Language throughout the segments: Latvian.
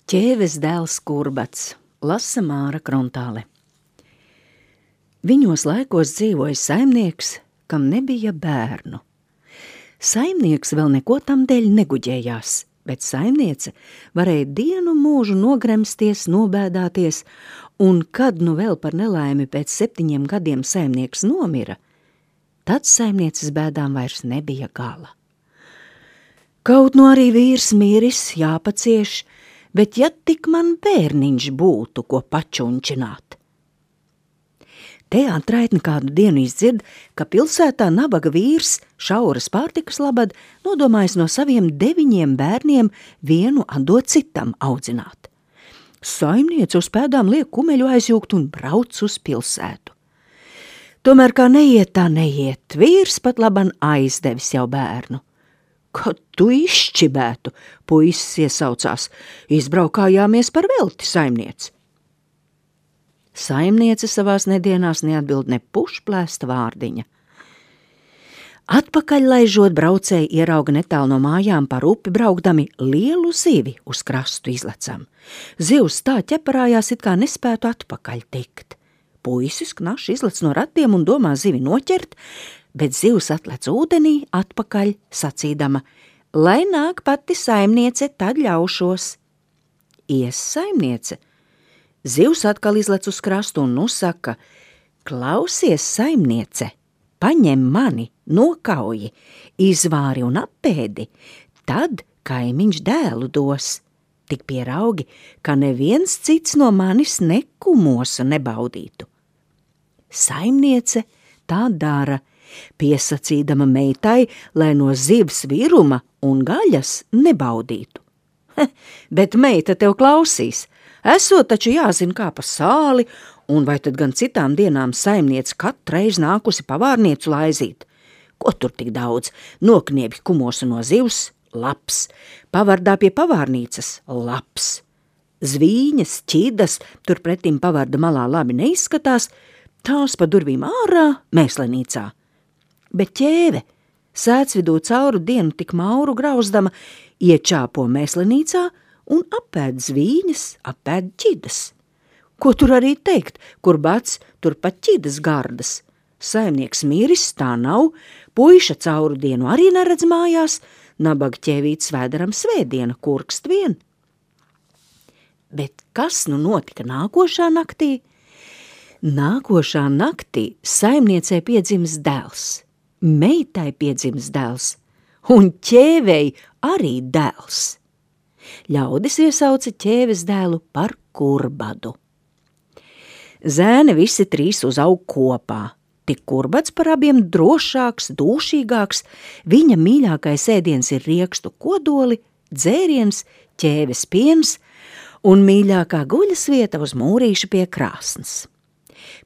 Ķēves dēls Kurbats, lasa Māra Krontāle. Viņos laikos dzīvoja saimnieks, kam nebija bērnu. Saimnieks vēl neko tam dēļ neguģējās, bet saimniece varēja dienu mūžu nogremsties, nobēdāties, un kad nu vēl par nelaimi pēc 7 gadiem saimnieks nomira, tad saimnieces bēdām vairs nebija gala. Kaut nu arī vīrs miris, jāpacieš, bet ja tik man bērniņš būtu, ko pačunčināt. Te atraitni kādu dienu izdzird, ka pilsētā nabaga vīrs šauras pārtikas labad nodomājis no saviem 9 bērniem vienu atdot citam audzināt. Saimniece uz pēdām liek kumeļu aizjūgt un brauc uz pilsētu. Tomēr kā neiet, tā neiet, vīrs pat laban aizdevis jau bērnu. Kad tu izšķibētu, puisis iesaucās, izbraukājāmies par velti, saimniece. Saimniece savās nedienās neatbild ne pušplēsta vārdiņa. Atpakaļ laižot braucēji ierauga netālu no mājām par upi braukdami lielu zivi uz krastu izlecam. Zivs tā ķeparājās, it kā nespētu atpakaļ tikt. Puisis knaši izlec no ratiem un domā zivi noķert, bet zivs atlec ūdenī atpakaļ sacīdama, lai nāk pati saimniece, tad ļaušos. Ies saimniece. Zivs atkal izlec uz krastu un saka, klausies saimniece, paņem mani, nokauji, izvāri un apēdi, tad kaimiņš dēlu dos. Tik pieraugi, ka neviens cits no manis nekumosu nebaudītu. Saimniece tā dara, piesacīdama meitai, lai no zivs viruma un gaļas nebaudītu. Bet meita tev klausīs, esot taču jāzina kā pa sāli, un vai tad gan citām dienām saimniece katreiz nākusi pavārniecu laizīt. Ko tur tik daudz? Nokniebj kumosu no zivs, labs, pavardā pie pavārnīcas, labs. Zvīņas, ķidas, turpretim pavarda malā labi neizskatās, tās pa durvīm ārā, mēslenīcā. Bet ķēve, sēcvidū cauru dienu tik mauru grauzdama, iečāpo mēslenīcā un apēd zvīņas, apēd ķidas. Ko tur arī teikt, kur bats, tur pat ķidas gardas. Saimnieks miris, tā nav, puiša cauru dienu arī neredz mājās, nabaga ķēvīts vēderam svētdiena, kurkst vien. Bet kas nu notika nākošā naktī? Nākošā naktī saimniecei piedzims dēls, meitai piedzims dēls un ķēvei arī dēls. Ļaudis iesauca ķēves dēlu par Kurbadu. Zēni visi 3 uzaug kopā, tik Kurbats par abiem drošāks, dūšīgāks, viņa mīļākais ēdiens ir riekstu kodoli, dzēriens, ķēves piens un mīļākā guļas vieta uz mūrīša pie krāsnes.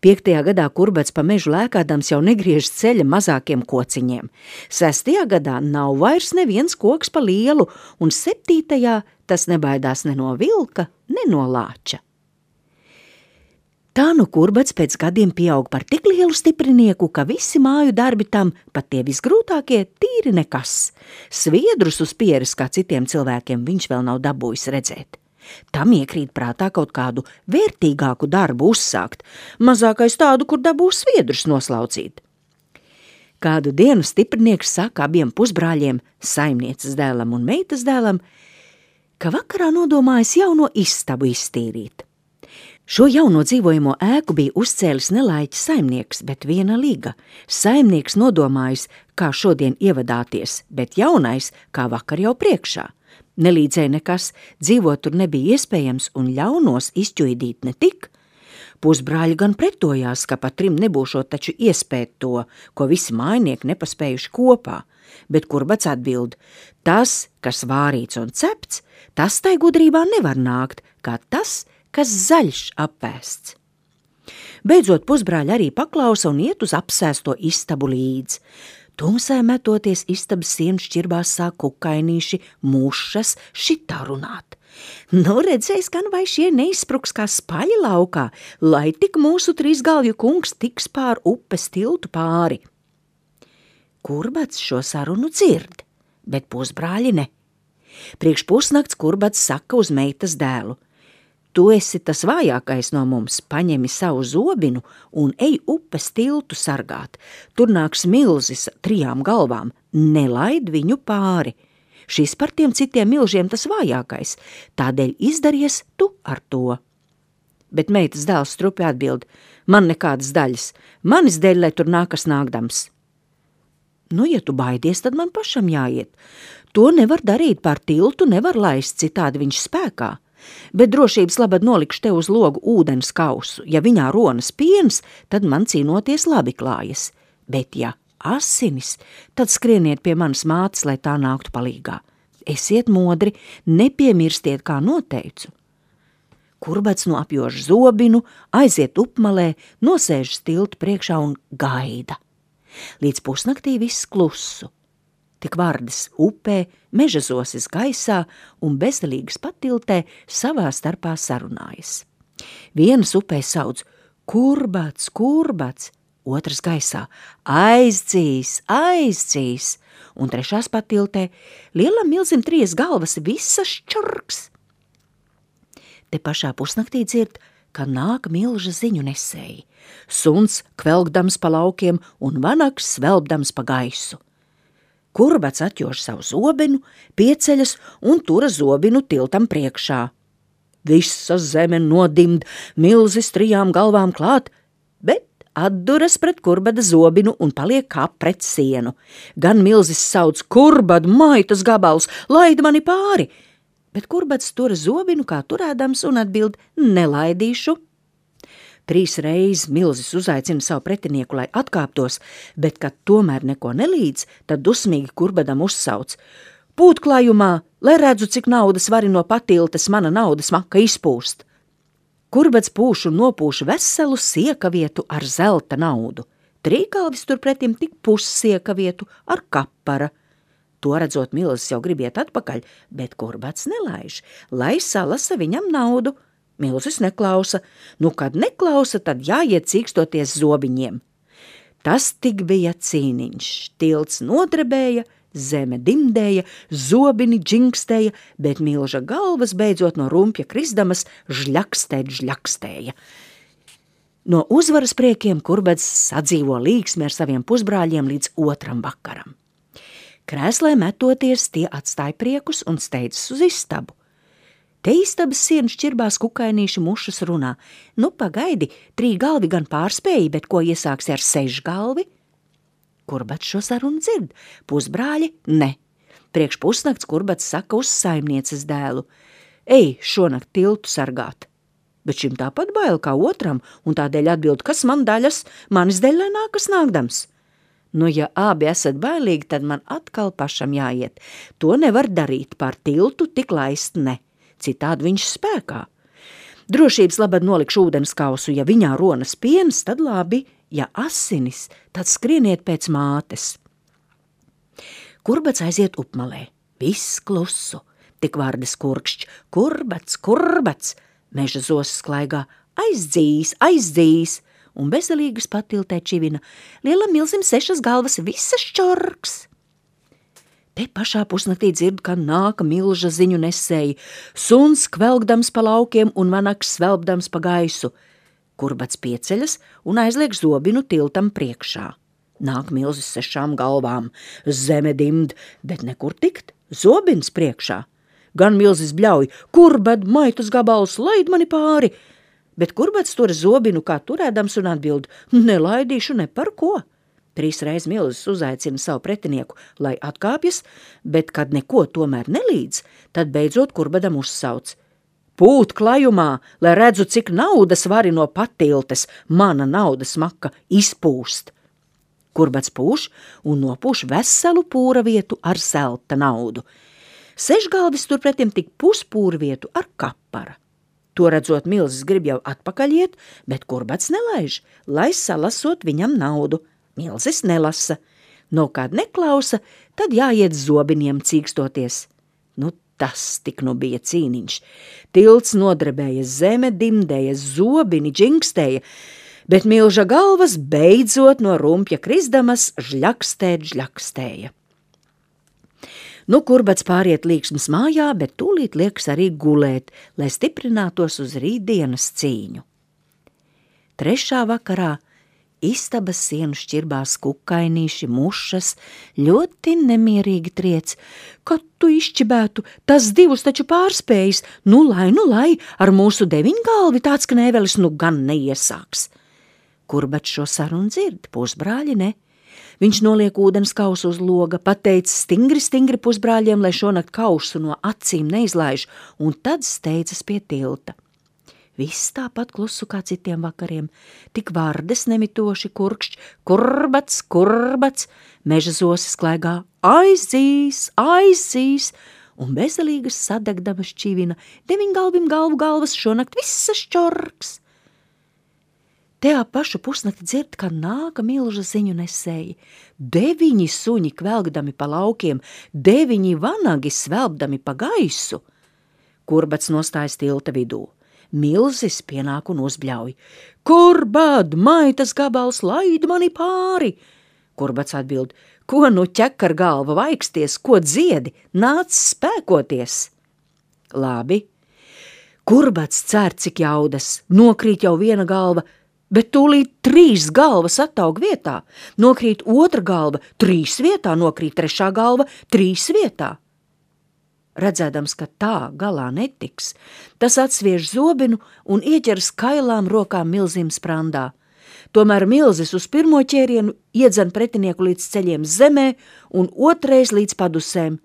5. gadā Kurbats pa mežu lēkādams jau negriež ceļa mazākiem kociņiem. 6. gadā nav vairs neviens koks pa lielu, un 7. tas nebaidās ne no vilka, ne no lāča. Tā nu Kurbats pēc gadiem pieaug par tik lielu stiprinieku, ka visi māju darbi tam, pat tie visgrūtākie, tīri nekas. Sviedrus uz pieres kā citiem cilvēkiem viņš vēl nav dabūjis redzēt. Tam iekrīt prātā kaut kādu vērtīgāku darbu uzsākt, mazākais tādu, kur dabūs sviedrus noslaucīt. Kādu dienu stiprinieks saka abiem pusbrāļiem, saimnieces dēlam un meitas dēlam, ka vakarā nodomājis jauno istabu iztīrīt. Šo jauno dzīvojamo ēku bija uzcēlis nelaiķis saimnieks, bet viena liga. Saimnieks nodomājis, kā šodien ievadāties, bet jaunais, kā vakar jau priekšā. Nelīdzēja nekas, dzīvot tur nebija iespējams un ļaunos izķuidīt ne tik. Pusbrāļi gan pretojās, ka pat 3 nebūšot taču iespēt to, ko visi mājnieki nepaspējuši kopā, bet Kurbats atbild, tas, kas vārīts un cepts, tas tai gudrībā nevar nākt, kā tas, kas zaļš apēsts. Beidzot pusbrāļi arī paklausa un iet uz apsēsto istabu līdz. Tumsē metoties istabas sienu šķirbās sāk kukainīši, mušas, šitā runāt. Nu, redzēs, gan vai šie neizspruks kā spaļi laukā, lai tik mūsu 3 galvju kungs tiks pār upes tiltu pāri. Kurbats šo sarunu dzird, bet pusbrāļi ne. Priekš pusnakts Kurbats saka uz meitas dēlu: Tu esi tas vājākais no mums, paņemi savu zobinu un ej upes tiltu sargāt. Tur nāks milzis 3 galvām, nelaid viņu pāri. Šis par tiem citiem milžiem tas vājākais, tādēļ izdaries tu ar to. Bet meitas dēls strupi atbild: Man nekādas daļas, manis dēļ, lai tur nākas nākdams. Nu, ja tu baidies, tad man pašam jāiet. To nevar darīt, pār tiltu nevar laist, citādi viņš spēkā. Bet drošības labad nolikšu tev uz logu ūdens kausu. Ja viņā ronas piens, tad man cīnoties labi klājas. Bet ja asinis, tad skrieniet pie manas mātes, lai tā nāktu palīgā. Esiet modri, nepiemirstiet, kā noteicu. Kurbats no apjož zobinu, aiziet upmalē, nosēžas tiltu priekšā un gaida. Līdz pusnaktī viss klusu. Tik vardes upē, meža zosis gaisā un bezdelīgas patiltē savā starpā sarunājas. Vienas upē sauc: Kurbats, Kurbats, otras gaisā: Aizdzīs, aizdzīs, un trešās patiltē: Lielam milzim 3 galvas, visas čurks. Te pašā pusnaktī dzird, ka nāk milža ziņu nesēji. Suns kvelkdams pa laukiem un vanaks svelbdams pa gaisu. Kurbats atjož savu zobenu, pieceļas un tura zobinu tiltam priekšā. Visa zeme nodimd, milzis 3 galvām klāt, bet atduras pret Kurbada zobinu un paliek kā pret sienu. Gan milzis sauc: Kurbad, maitas gabals, laid mani pāri! Bet Kurbats tura zobinu kā turēdams un atbild: Nelaidīšu. 3 reizes milzis uzaicina savu pretinieku, lai atkāptos, bet, kad tomēr neko nelīdz, tad dusmīgi Kurbadam uzsauc: Pūtklājumā, lai redzu, cik naudas vari no patiltes mana naudas maka izpūst. Kurbats pūš un nopūš veselu siekavietu ar zelta naudu. Trīkalvis turpretim tik pussiekavietu ar kapara. To redzot, milzis jau gribiet atpakaļ, bet Kurbats nelaiž, lai salasa viņam naudu. Milzis neklausa. Nu, kad neklausa, tad jāiet cīkstoties zobiņiem. Tas tik bija cīniņš. Tilts nodrebēja, zeme dimdēja, zobini džingstēja, bet milža galvas beidzot no rumpja krisdamas žļakstēja. No uzvaras priekiem Kurbats sadzīvo līksmi ar saviem pusbrāļiem līdz 2. vakaram. Krēslē metoties, tie atstāja priekus un steidzas uz istabu. Te istabas sienu šķirbās kukainīši mušas runā: Nu, pagaidi, 3 galvi gan pārspēja, bet ko iesāksi ar 6 galvi? Kurbats šo sarunu dzird, pusbrāļi ne. Priekš pusnakts Kurbats saka uz saimnieces dēlu: Ej, šonakt tiltu sargāt. Bet šim tāpat bail kā otram, un tādēļ atbild: Kas man daļas, manis dēļ lai nākas nākdams. Nu, ja abi esat bailīgi, tad man atkal pašam jāiet. To nevar darīt, pār tiltu tik laist ne. Citādi viņš spēkā. Drošības labad nolikšu ūdens kausu, ja viņā ronas piens, tad labi, ja asinis, tad skrieniet pēc mātes. Kurbats aiziet upmalē, viss klusu, tik vardes kurkšķ: Kurbats, Kurbats, meža zosis klaigā: Aizdzīs, aizdzīs, un bezdelīgas patiltē čivina: Lielam milzim 6 galvas, visas čorks. Te pašā pusnaktī dzird, ka nāka milža ziņu nesēji, suns kvelkdams pa laukiem un vanaks svelbdams pa gaisu. Kurbats pieceļas un aizliek zobinu tiltam priekšā. Nāk milzis 6 galvām, zeme dimd, bet nekur tikt, zobins priekšā. Gan milzis bļauj: Kurbad, maitas gabals, laid mani pāri! Bet Kurbats tura zobinu kā turēdams un atbild: Nelaidīšu ne par ko. 3 reizes milzis uzaicina savu pretinieku, lai atkāpjas, bet, kad neko tomēr nelīdz, tad beidzot Kurbadam uzsauc: Pūt klajumā, lai redzu, cik naudas vari no patiltes, mana naudas maka izpūst. Kurbats pūš un nopūš veselu pūra vietu ar zelta naudu. 6 galvis turpretim tik puspūra vietu ar kapara. To redzot, milzis grib jau atpakaļ iet, bet Kurbats nelaiž, lai salasot viņam naudu. Milzis nelasa. No kād neklausa, tad jāiet zobiniem cīkstoties. Nu, tas tik nu bija cīniņš. Tilts nodrebēja, zeme dimdēja, zobini džingstēja, bet milža galvas beidzot no rumpja krisdamas žļakstēja. Nu, Kurbats pāriet Līksmas mājā, bet tūlīt liekas arī gulēt, lai stiprinātos uz rītdienas cīņu. 3. vakarā istabas sienu šķirbās kukainīši, mušas, ļoti nemierīgi triec. Kad tu izšķibētu, tas 2 taču pārspējis, nu lai, ar mūsu 9 galvi tāds knēvelis nu gan neiesāks. Kurbats šo sarunu dzird, pusbrāļi ne. Viņš noliek ūdens kausu uz loga, pateica stingri pusbrāļiem, lai šonakt kausu no acīm neizlaiž, un tad steidzas pie tilta. Viss tāpat klusu kā citiem vakariem, tik vārdes nemitoši kurkšķ, Kurbats, meža zosis klaigā, aizzīs, un bezalīgas sadegdamas čivina, 9 galvim galvas šonakt visas čorks. Te ap pašu pusnakti dzird, ka nāka milža ziņu nesēji. 9 suņi kvelgdami pa laukiem, 9 vanagi svelbdami pa gaisu. Kurbats nostājas tilta vidū. Milzis pienāk un uzbļauj. Kurbad, maitas gabals, laid mani pāri! Kurbats atbild, ko nu ķekar galva vaiksties, ko dziedi, nāc spēkoties! Labi. Kurbats cer cik jaudas, nokrīt jau viena galva, bet tūlīt 3 galvas attaug vietā, nokrīt 2 galva, 3 vietā, nokrīt 3 galva, 3 vietā. Redzēdams, ka tā galā netiks, tas atsviež zobenu un ieķeras kailām rokām milzim sprandā. Tomēr milzis uz pirmo ķērienu iedzen pretinieku līdz ceļiem zemē un 2 līdz padusēm.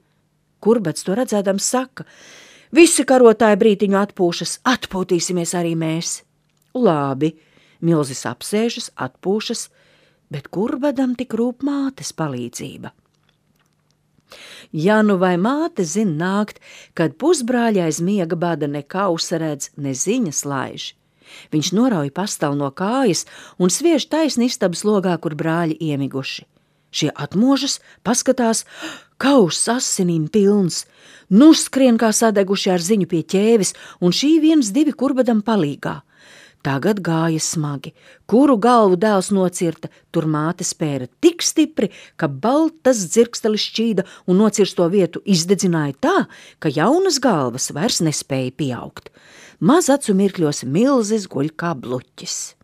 Kurbats to redzēdams saka, visi karotāji brītiņu atpūšas, atpūtīsimies arī mēs. Labi. Milzis apsēžas, atpūšas, bet Kurbadam tik rūp mātes palīdzība. Ja nu vai māte zin nākt, kad pusbrāļi aiz miega bada ne kausa redz, ne ziņas laiž. Viņš norauj pastalu no kājas un sviež taisni istabas logā, kur brāļi iemiguši. Šie atmožas, paskatās, kauss asinīm pilns, nu skrien kā sadeguši ar ziņu pie ķēvis, un šī 1-2 Kurbadam palīgā. Tagad gāja smagi, kuru galvu dēls nocirta, tur māte spēra tik stipri, ka baltas dzirkstelis šķīda un nocirsto vietu izdedzināja tā, ka jaunas galvas vairs nespēja pieaugt. Maz acu mirkļos milzis guļ kā bluķis.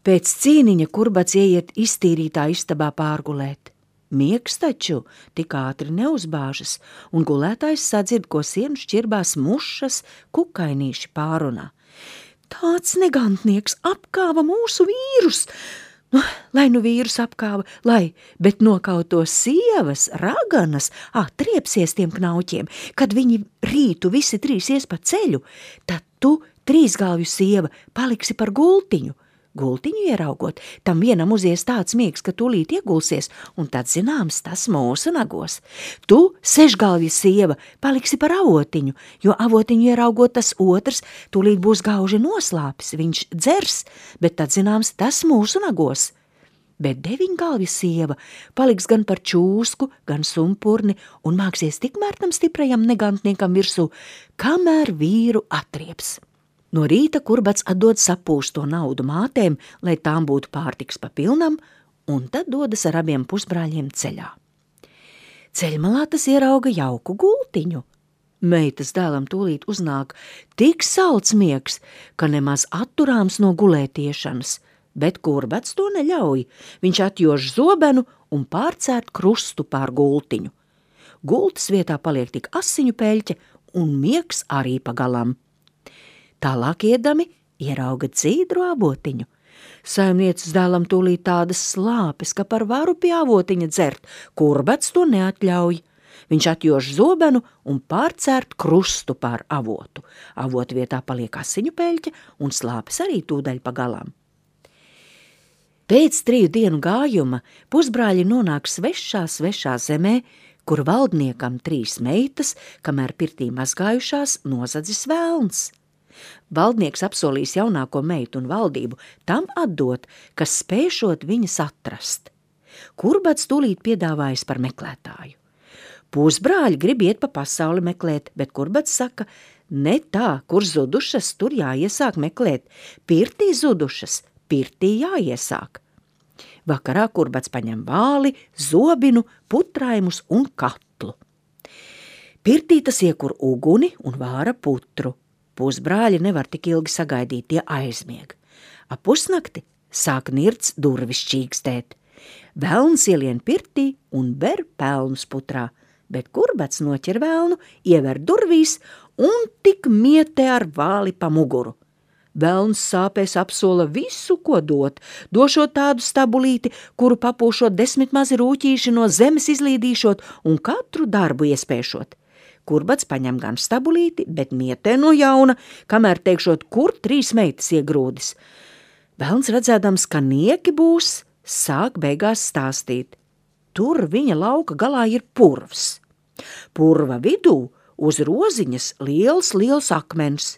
Pēc cīniņa Kurbats ieiet iztīrītā istabā pārgulēt. Miegs taču tik ātri neuzbāžas, un gulētājs sadzird, ko sienu šķirbās mušas, kukainīši pārunā. Tāds negantnieks apkāva mūsu vīrus. Lai nu vīrus apkāva, bet nokauto sievas, raganas, triepsies tiem knauķiem, kad viņi rītu visi 3 ies pa ceļu, tad tu 3 galvju sieva paliksi par gultiņu. Gultiņu ieraugot, tam vienam uzies tāds miegs, ka tūlīt iegulsies, un tad zināms tas mūsu nagos. Tu, 6 galvju sieva, paliksi par avotiņu, jo avotiņu ieraugot tas otrs, tūlīt būs gauži noslāpis, viņš dzers, bet tad zināms tas mūsu nagos. Bet 9 galvju sieva paliks gan par čūsku, gan sumpurni un māksies tikmēr tam stiprajam negantniekam virsū, kamēr vīru atrieps. No rīta Kurbats atdod sapūsto naudu mātēm, lai tām būtu pārtiks pa pilnam, un tad dodas ar abiem pusbrāļiem ceļā. Ceļmalā tas ierauga jauku gultiņu. Meitas dēlam tūlīt uznāk tik salds miegs, ka nemaz atturāms no gulētiešanas, bet Kurbats to neļauj. Viņš atjož zobenu un pārcērt krustu pār gultiņu. Gultas vietā paliek tik asiņu peļķe un miegs arī pagalam. Tālāk iedami ierauga dzīdru avotiņu. Saimnieces dēlam tūlīt tādas slāpes, ka par varu pie avotiņa dzert, Kurbats to neatļauj. Viņš atjož zobenu un pārcērt krustu pār avotu. Avotu vietā paliek asiņu peļķe un slāpes arī tūdaļ pagalām. Pēc 3 dienu gājuma pusbrāļi nonāk svešā zemē, kur valdniekam 3 meitas, kamēr pirtī mazgājušās, nozadzis vēlns. Valdnieks apsolīs jaunāko meitu un valdību tam atdot, kas spēšot viņas atrast. Kurbats tūlīt piedāvājas par meklētāju. Pusbrāļi grib iet pa pasauli meklēt, bet Kurbats saka, ne tā, kur zudušas, tur jāiesāk meklēt, pirtī zudušas, pirtī jāiesāk. Vakarā Kurbats paņem vāli, zobinu, putraimus un katlu. Pirtī tas iekur uguni un vāra putru. Pusbrāļi nevar tik ilgi sagaidīt, tie aizmieg. Ap pusnakti sāk nirts durvis čīkstēt. Velns ielien pirtī un ber pelnus putrā, bet Kurbats noķer velnu, iever durvīs un tik mietē ar vāli pa muguru. Velns sāpēs apsola visu, ko dot, došot tādu stabulīti, kuru papūšot 10 mazi rūķīši no zemes izlīdīšot un katru darbu iespēšot. Kurbats paņem gan stabulīti, bet mietē no jauna, kamēr teikšot, kur 3 meitas iegrūdis. Velns redzēdams, ka nieki būs, sāk beigās stāstīt. Tur viņa lauka galā ir purvs. Purva vidū uz roziņas liels akmens.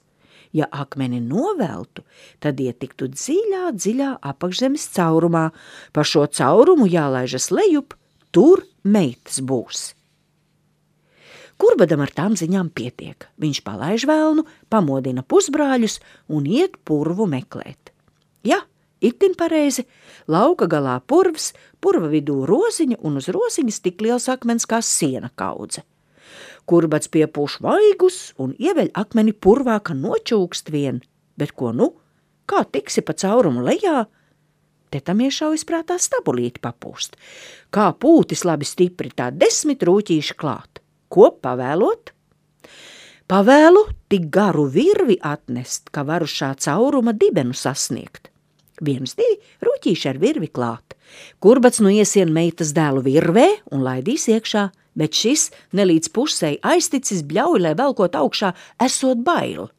Ja akmeni noveltu, tad ietiktu dziļā apakšzemes caurumā. Pa šo caurumu jālaižas lejup, tur meitas būs. Kurbadam ar tām ziņām pietiek. Viņš palaiž velnu, pamodina pusbrāļus un iet purvu meklēt. Ja, itin pareizi, lauka galā purvs, purva vidū roziņa un uz roziņas tik liels akmens kā siena kaudze. Kurbats piepūš vaigus un ieveļ akmeni purvā, ka nočūkst vien. Bet ko nu? Kā tiksi pa caurumu lejā? Te tam iešaujas prātā stabulīti papūst. Kā pūtis labi stipri, tā 10 rūķīši klāt. Ko pavēlot? Pavēlu tik garu virvi atnest, ka varu šā cauruma dibenu sasniegt. 1, 2 rūķīši ar virvi klāt. Kurbats nu iesien meitas dēlu virvē un laidīs iekšā, bet šis nelīdz pusei aizticis bļauj, lai velkot augšā esot bail.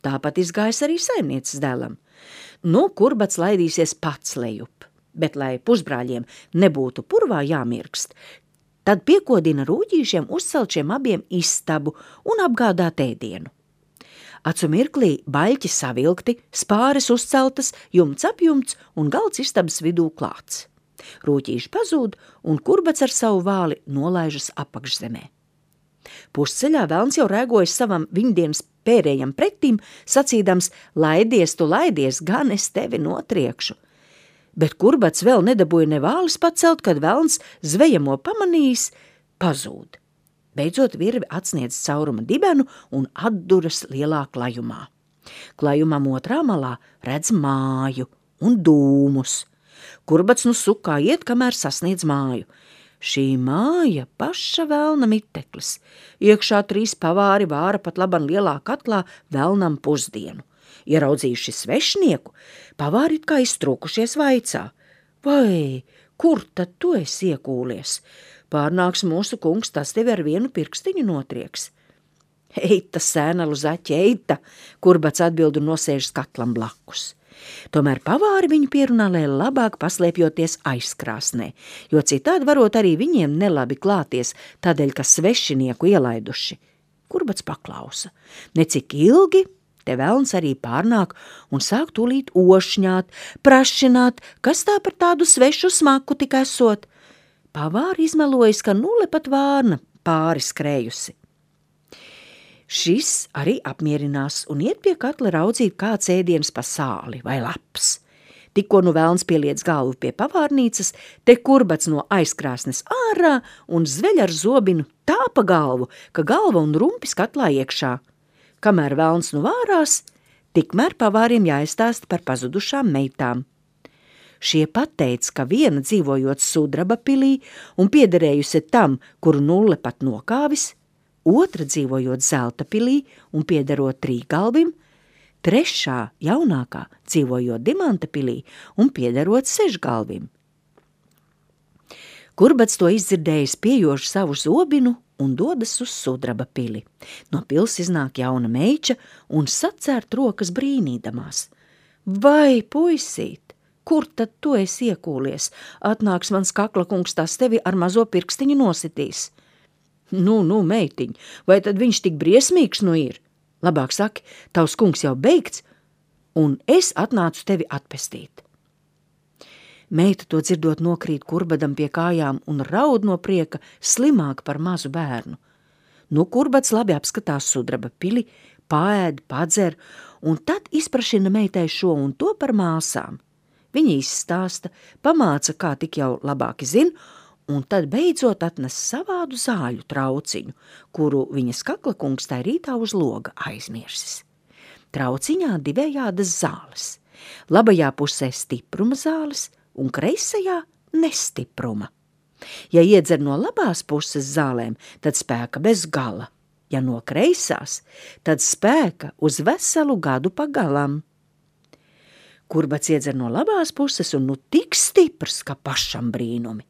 Tāpat izgājis arī saimnieces dēlam. Nu, Kurbats laidīsies pats lejup, bet lai pusbrāļiem nebūtu purvā jāmirkst, tad piekodina rūķīšiem uzcelt šiem abiem istabu un apgādāt ēdienu. Acu mirklī baļķi savilkti, spāres uzceltas, jumts apjumts un galds istabas vidū klāts. Rūķīši pazūd un Kurbats ar savu vāli nolaižas apakšzemē. Pusceļā velns jau rēgojas savam viņdienas pērējam pretīm, sacīdams, laidies, tu laidies, gan es tevi notriekšu. Bet Kurbats vēl nedabūja ne vālis pacelt, kad velns zvejamo pamanījis, pazūd. Beidzot virvi atsniedz cauruma dibenu un atduras lielā klajumā. Klajumam otrā malā redz māju un dūmus. Kurbats nu sukā iet, kamēr sasniedz māju. Šī māja paša velna miteklis. Iekšā 3 pavāri vāra pat laban lielā katlā velnam pusdienu. Ieraudzījuši svešnieku, pavāri kā iztrūkušies vaicā. Vai, kur tad tu esi iekūlies? Pārnāks mūsu kungs, tas tevi ar vienu pirkstiņu notrieks. Eita, sēnalu zaķi, eita, Kurbats atbild un nosēžas katlam blakus. Tomēr pavāri viņu pierunā, lai labāk paslēpjoties aizkrāsnē, jo citādi varot arī viņiem nelabi klāties, tādēļ, ka svešinieku ielaiduši. Kurbats paklausa. Necik ilgi te velns arī pārnāk un sāk tūlīt ošņāt, prašināt, kas tā par tādu svešu smaku tik esot. Pavāri izmelojas, ka nulle pat vārna pāri skrējusi. Šis arī apmierinās un iet pie katla raudzīt kāds ēdiens pa sāli vai laps. Tikko nu velns pieliec galvu pie pavārnīcas, te Kurbats no aizkrāsnes ārā un zveļ ar zobinu tā pa galvu, ka galva un rumpis katlā iekšā. Kamēr velns nu vārās, tikmēr pavāriem jāizstāsta par pazudušām meitām. Šie pateic, ka viena dzīvojot Sudraba pilī un piederējusi tam, kuru nulle pat nokāvis, otra dzīvojot Zelta pilī un piederot Trīgalvim, trešā jaunākā dzīvojot Dimanta pilī un piederot Sešgalvim. Kurbats to izdzirdējis piejoši savu zobinu un dodas uz Sudraba pili. No pils iznāk jauna meiča un sacērt rokas brīnīdamās. Vai, puisīt! Kur tad tu esi iekūlies? Atnāks mans kaklakungs, tas tevi ar mazo pirkstiņu nositīs. Nu, meitiņ, vai tad viņš tik briesmīgs nu ir? Labāk saki, tavs kungs jau beigts, un es atnācu tevi atpestīt. Meita to dzirdot nokrīt Kurbadam pie kājām un raud no prieka slimāk par mazu bērnu. Nu, Kurbats labi apskatās Sudraba pili, paēd, padzer, un tad izprašina meitai šo un to par māsām. Viņa izstāsta, pamāca, kā tik jau labāki zin, un tad beidzot atnes savādu zāļu trauciņu, kuru viņas kaklakungs tai rītā uz loga aizmirsis. Trauciņā divējādas zāles. Labajā pusē stipruma zāles un kreisajā nestipruma. Ja iedzer no labās puses zālēm, tad spēka bez gala. Ja no kreisās, tad spēka uz veselu gadu pagalam. Kurbats iedzer no labās puses un nu tik stiprs, ka pašam brīnumi.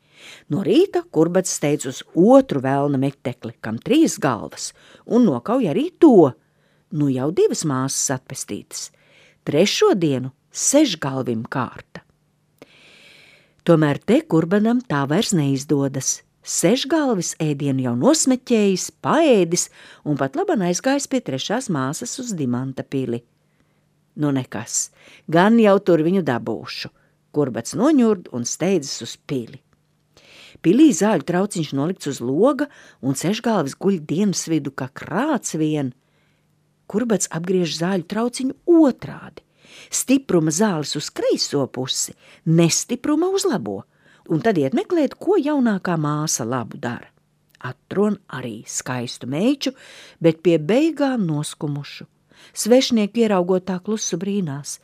No rīta Kurbats steidz uz otru velna metekli, kam 3 galvas, un nokauj arī to. Nu jau 2 māsas atpestītas. 3. dienu 6 galvim kārta. Tomēr te Kurbanam tā vairs neizdodas. 6 galvis ēdienu jau nosmeķējis, paēdis un pat laban aizgājis pie 3. māsas uz Dimanta pili. Nu nekas, gan jau tur viņu dabūšu. Kurbats noņurd un steidzas uz pili. Pilī zāļu trauciņš nolikts uz loga un 6 galvis guļ dienas vidu kā krāts vien. Kurbats apgriež zāļu trauciņu otrādi. Stipruma zāles uz kreiso pusi, nestipruma uz labo, un tad iet meklēt, ko jaunākā māsa labu dara. Atron arī skaistu meiču, bet pie beigām noskumušu. Svešnieki ieraugot tā klusu brīnās.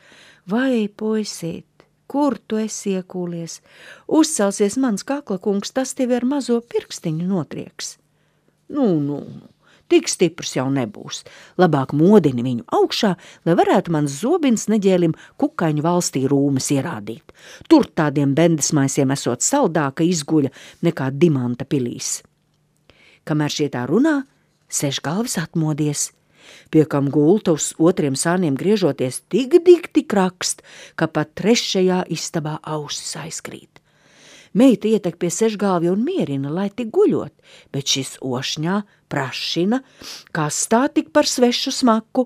Vai, puisīt, kur tu esi iekūlies? Uzcelsies mans kaklakungs, tas tevi ar mazo pirkstiņu notrieks. Nu, tik stiprs jau nebūs. Labāk modini viņu augšā, lai varētu mans zobins neģēlim kukaiņu valstī rūmes ierādīt. Tur tādiem bendesmaisiem esot saldāka izguļa nekā Dimanta pilīs. Kamēr šie tā runā, 6 galvis atmodies. Pie kam gulta uz 2 sāniem griežoties tik dikti krakst, ka pat 3. istabā ausis aizkrīt. Meita ietek pie 6 galvi un mierina, lai tik guļot, bet šis ošņā prašina, kā stāt tik par svešu smaku.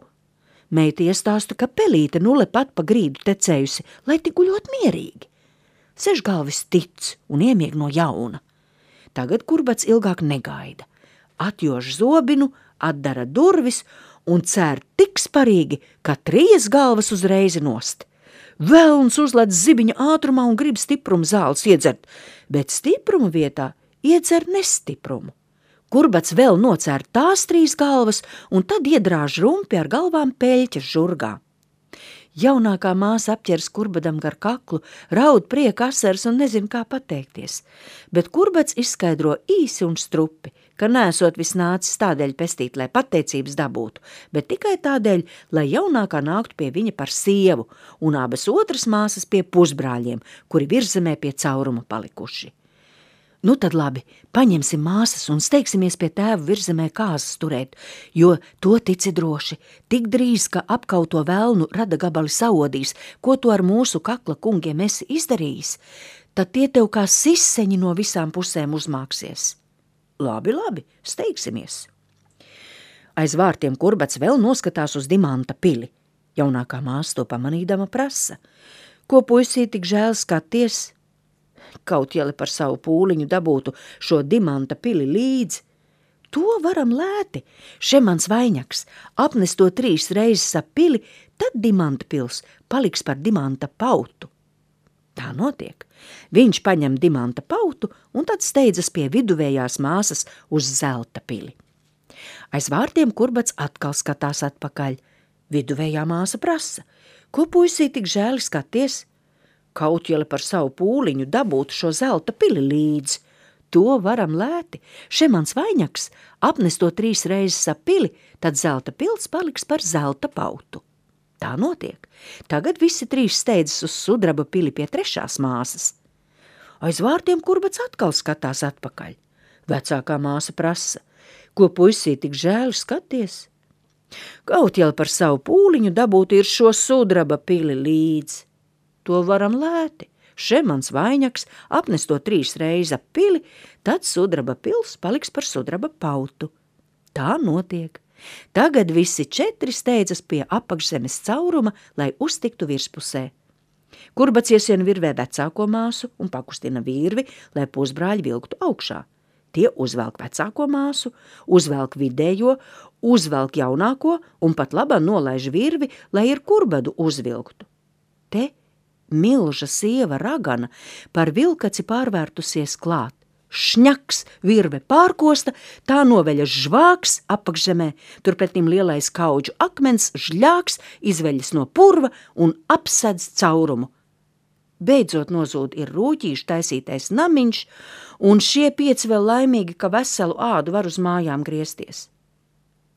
Meita iestāsta, ka pelīte nule pat pa grīdu tecējusi, lai tik guļot mierīgi. 6 galvis tic un iemieg no jauna. Tagad Kurbats ilgāk negaida. Atjož zobinu, atdara durvis un cēr tik sparīgi, ka 3 galvas uzreiz nost. Velns uzlec zibiņa ātrumā un grib stiprumu zāles iedzert, bet stiprumu vietā iedzer nestiprumu. Kurbats vēl nocēr tās 3 galvas un tad iedrāž rumpi ar galvām peļķes žurgā. Jaunākā māsa apķers Kurbadam gar kaklu, raud prieka asaras un nezin, kā pateikties, bet Kurbats izskaidro īsi un strupi, ka nesot vis nācis tādēļ pestīt, lai pateicības dabūtu, bet tikai tādēļ, lai jaunākā nāktu pie viņa par sievu un abas otras māsas pie pusbrāļiem, kuri virzemē pie cauruma palikuši. Nu tad labi, paņemsim māsas un steigsimies pie tēva virzemē kāzas turēt, jo to tici droši, tik drīz, ka apkauto velnu rada gabali saodīs, ko tu ar mūsu kakla kungiem esi izdarījis, tad tie tev kā siseņi no visām pusēm uzmāksies. Labi, steigsimies. Aiz vārtiem Kurbats vēl noskatās uz Dimanta pili. Jaunākā māsa to pamanīdama prasa. Ko puisī tik žēl skaties? Kaut jeli par savu pūliņu dabūtu šo Dimanta pili līdzi. To varam lēti. Šemans vainags apnes to 3 reizes ap pili, tad Dimanta pils paliks par Dimanta pautu. Tā notiek. Viņš paņem Dimanta pautu un tad steidzas pie viduvējās māsas uz zelta pili. Aiz vārtiem Kurbats atkal skatās atpakaļ. Viduvējā māsa prasa. Ko puisī tik žēli skaties? Kaut jeli par savu pūliņu dabūtu šo zelta pili līdzi. To varam lēti. Šemans vainags apnes to 3 reizes ap pili, tad zelta pils paliks par zelta pautu. Tā notiek. Tagad visi 3 steidzas uz sudraba pili pie 3. māsas. Aiz vārtiem Kurbats atkal skatās atpakaļ. Vecākā māsa prasa. Ko puisī tik žēli skaties? Kaut jeli par savu pūliņu dabūtu ir šo sudraba pili līdzi. To varam lēti. Šemans vainags apnes to 3 reizes ap pili, tad sudraba pils paliks par sudraba pautu. Tā notiek. Tagad visi 4 steidzas pie apakšzemes cauruma, lai uztiktu virspusē. Kurbats iesien virvē vecāko māsu un pakustina virvi, lai pusbrāļi vilktu augšā. Tie uzvelk vecāko māsu, uzvelk vidējo, uzvelk jaunāko un pat labā nolaiž virvi, lai ir Kurbadu uzvilktu. Te milža sieva ragana par vilkaci pārvērtusies klāt. šņaks, virve pārkosta, tā noveļas žvāks apakšzemē, turpretim lielais kaudžu akmens, žļāks, izveļas no purva un apsedz caurumu. Beidzot nozūd ir rūķīši taisītais namiņš, un šie 5 vēl laimīgi, ka veselu ādu var uz mājām griezties.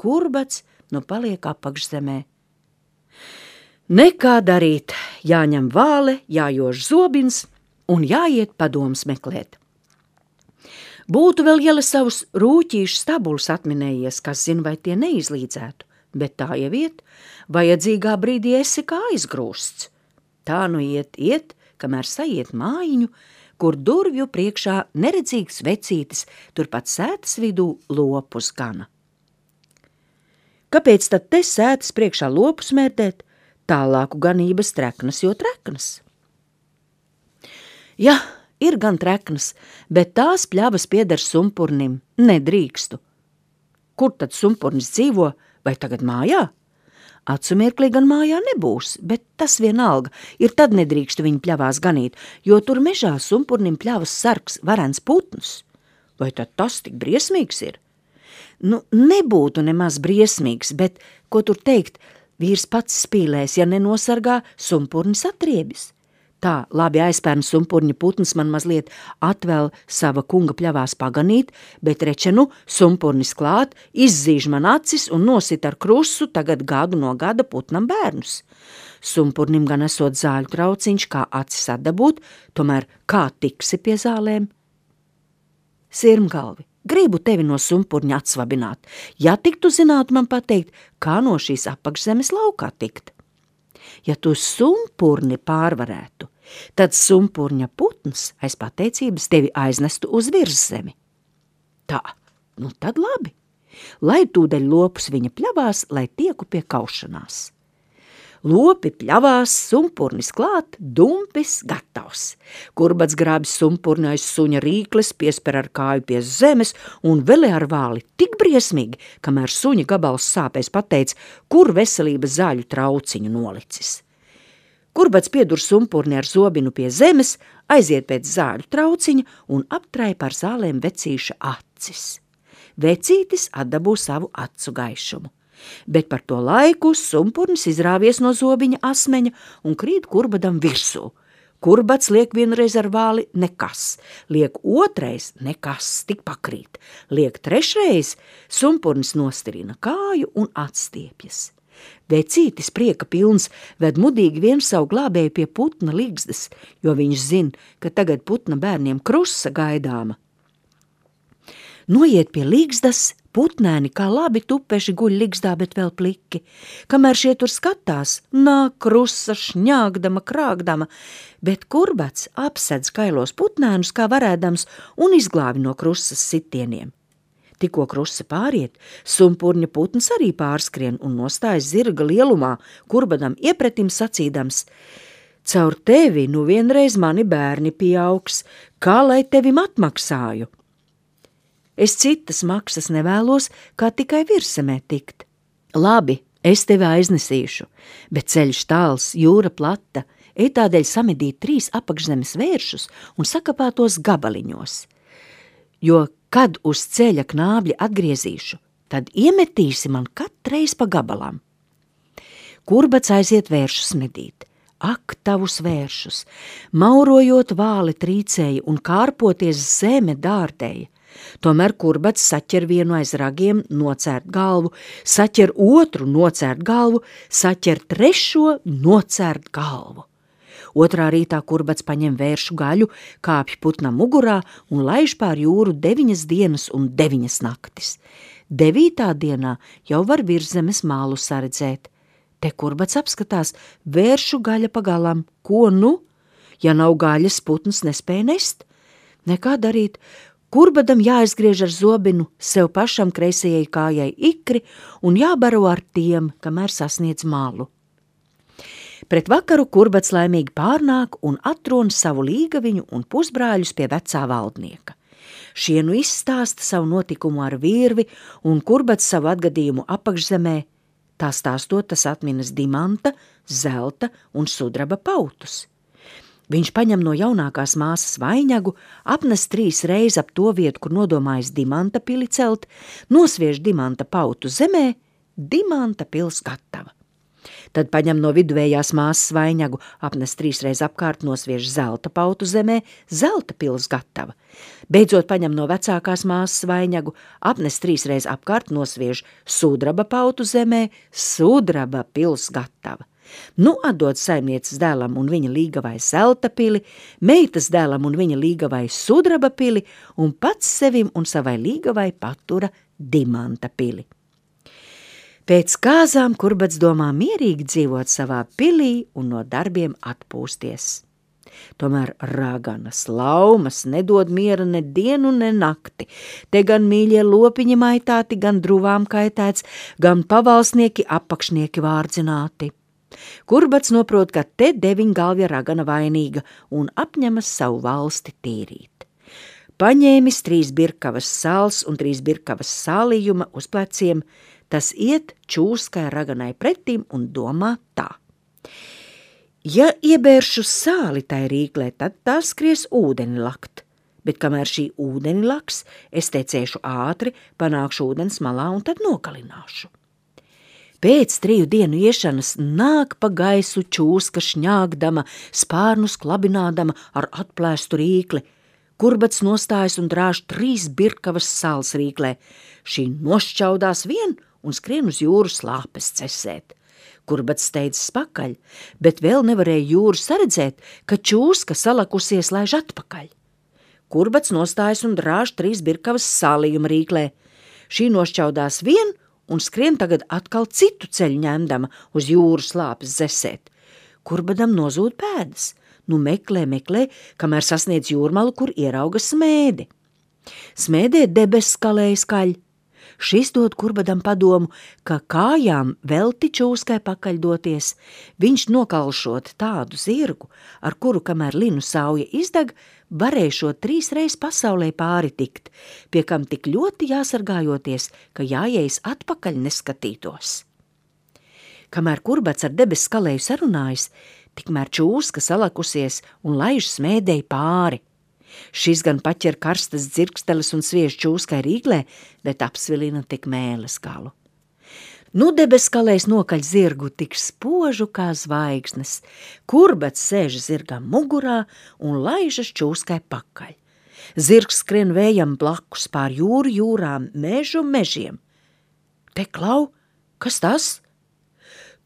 Kurbats nu paliek apakšzemē. Nekā darīt, jāņem vāle, jājož zobins un jāiet padoms meklēt. Būtu vēl Jele savus rūķīšu stabulus atminējies, kas zina, vai tie neizlīdzētu, bet tā jau iet, vajadzīgā brīdī esi kā aizgrūsts. Tā nu iet, kamēr saiet mājiņu, kur durvju priekšā neredzīgs vecītis, turpat sētas vidū lopus gana. Kāpēc tad te sētas priekšā lopus mērdēt? Tālāku ganības treknas, jo treknas. Ja, ir gan treknas, bet tās pļavas pieder sumpurnim, nedrīkstu. Kur tad sumpurnis dzīvo, vai tagad mājā? Acumirklī gan mājā nebūs, bet tas vienalga, ir tad nedrīkstu viņu pļavās ganīt, jo tur mežā sumpurnim pļavas sargs varens putnus. Vai tad tas tik briesmīgs ir? Nu, nebūtu nemaz briesmīgs, bet, ko tur teikt, vīrs pats spīlēs, ja nenosargā, sumpurnis atriebis. Tā labi aizpērn sumpurņa putns man mazliet atvēl sava kunga pļavās paganīt, bet rečenu sumpurnis klāt, izzīž man acis un nosit ar krusu tagad gadu no gada putnam bērnus. Sumpurnim gan esot zāļu trauciņš, kā acis atdabūt, tomēr kā tiksi pie zālēm? Sirmgalvi, gribu tevi no sumpurņa atsvabināt, ja tiktu zināt man pateikt, kā no šīs apakšzemes laukā tikt. Ja tu sumpurni pārvarētu, tad sumpurņa putns aiz pateicības tevi aiznestu uz virszemi. Tā, nu tad labi, lai tūdaļ lopus viņa pļavās, lai tieku pie kaušanās. Lopi pļavās, sumpurnis klāt, dumpis gatavs. Kurbats grābis sumpurni aiz suņa rīkles, piesper ar kāju pie zemes un velē ar vāli tik briesmīgi, kamēr suņa gabals sāpēs pateica, kur veselības zāļu trauciņu nolicis. Kurbats piedur sumpurni ar zobinu pie zemes, aiziet pēc zāļu trauciņa un aptraipa ar zālēm vecīša acis. Vecītis atdabū savu acu gaišumu. Bet par to laiku sumpurnis izrāvies no zobiņa asmeņa un krīt kurbadam virsū. Kurbats liek vienreiz ar vāli nekas, liek otrais nekas, tik pakrīt, liek trešreiz, sumpurnis nostirina kāju un atstiepjas. Vecītis prieka pilns ved mudīgi vien savu glābēju pie putna ligzdas, jo viņš zina, ka tagad putna bērniem krusa gaidāma. Noiet pie ligzdas, putnēni kā labi tupeši guļ ligzdā, bet vēl pliki. Kamēr šie tur skatās, nāk krusa šņāgdama, krāgdama, bet kurbats apsedz kailos putnēnus kā varēdams un izglābi no krusas sitieniem. Tikko krusa pāriet, sumpurņa putns arī pārskrien un nostājas zirga lielumā, kurbadam iepretim sacīdams: caur tevi nu vienreiz mani bērni pieaugs, kā lai tevim atmaksāju? Es citas maksas nevēlos, kā tikai virsemē tikt. Labi, es tevi aiznesīšu, bet ceļš tāls, jūra plata, ej tādēļ samedīt 3 apakšzemes vēršus un sakapātos gabaliņos. Jo, kad uz ceļa knābļi atgriezīšu, tad iemetīsi man katreiz pa gabalām. Kurbats aiziet vēršus medīt. Ak, tavus vēršus, maurojot vāli trīcēja un kārpoties zeme dārdēja. Tomēr kurbats saķer vienu aiz ragiem, nocērt galvu, saķer otru, nocērt galvu, saķer trešo, nocērt galvu. Otrā rītā kurbats paņem vēršu gaļu, kāpj putnam mugurā un laiž pār jūru 9 dienas un 9 naktis. 9. dienā jau var virszemes mālu saredzēt. Te kurbats apskatās, vēršu gaļa pagalam. Ko nu? Ja nav gaļas, putns nespēja nest. Nekā darīt. Kurbadam jāizgriež ar zobinu, sev pašam kreisajai kājai ikri un jābaro ar tiem, kamēr sasniedz malu. Pret vakaru kurbats laimīgi pārnāk un atrona savu līgaviņu un pusbrāļus pie vecā valdnieka. Šie nu izstāsta savu notikumu ar virvi un kurbats savu atgadījumu apakšzemē. Tā stāstot, tas atminas dimanta, zelta un sudraba pautus. Viņš paņem no jaunākās māsas vainagu, apnes 3 reizes ap to vietu, kur nodomājis Dimanta pili celt, nosviež Dimanta pautu zemē, Dimanta pils gatava. Tad paņem no viduvējās māsas vainagu, apnes 3 reizes apkārt, nosviež zelta pautu zemē, zelta pils gatava. Beidzot paņem no vecākās māsas vainagu, apnes 3 reizes apkārt, nosviež sudraba pautu zemē, sudraba pils gatava. Nu atdod saimnieces dēlam un viņa līgavai zelta pili, meitas dēlam un viņa līgavai sudraba pili un pats sevim un savai līgavai patura Dimanta pili. Pēc kāzām Kurbats domā mierīgi dzīvot savā pilī un no darbiem atpūsties. Tomēr raganas, laumas nedod miera ne dienu, ne nakti. Te gan mīļie lopiņi maitāti, gan druvām kaitēts, gan pavalsnieki apakšnieki vārdzināti. Kurbats noprot, ka te 9 galvja ragana vainīga un apņemas savu valsti tīrīt. Paņēmis 3 birkavas sāls un 3 birkavas sālījuma uz pleciem, tas iet čūskai raganai pretīm un domā tā. Ja iebēršu sāli tai rīklē, tad tā skries ūdeni lakt, bet kamēr šī ūdeni laks, es tecēšu ātri, panākšu ūdens malā un tad nogalināšu. Pēc 3 dienu iešanas nāk pa gaisu čūska šņāgdama, spārnus klabinādama ar atplēstu rīkli. Kurbats nostājas un drāž 3 birkavas sāls rīklē. Šī nošķaudās vien un skrien uz jūru slāpes cesēt. Kurbats steidzas pakaļ, bet vēl nevarēja jūru saredzēt, ka čūska salakusies laiž atpakaļ. Kurbats nostājas un drāž 3 birkavas sālījuma rīklē. Šī nošķaudās vien un skrien tagad atkal citu ceļu ņemdama uz jūru slāpes zesēt. Kurbadam nozūd pēdas, nu meklē, kamēr sasniedz jūrmalu, kur ierauga smēdi. Smēdē debesis kalēja skaļ. Šis dod Kurbadam padomu, ka kājām velti čūskai pakaļ doties, viņš nokalšot tādu zirgu, ar kuru, kamēr linu sauja izdeg, varēšot 3 reizes pasaulē pāri tikt, pie kam tik ļoti jāsargājoties, ka jāiejas atpakaļ neskatītos. Kamēr Kurbats ar debesis kalēju sarunājas, tikmēr čūska salakusies un laiž smēdēji pāri. Šis gan paķer karstas dzirksteles un sviež čūskai rīklē, bet apsvilina tik mēles galu. Nu debesis kalējs nokaļ zirgu tik spožu kā zvaigznes. Kurbats sēž zirgam mugurā un laižas čūskai pakaļ. Zirgs skrien vējam blakus pār jūru jūrām, mežu mežiem. Te klau, kas tas?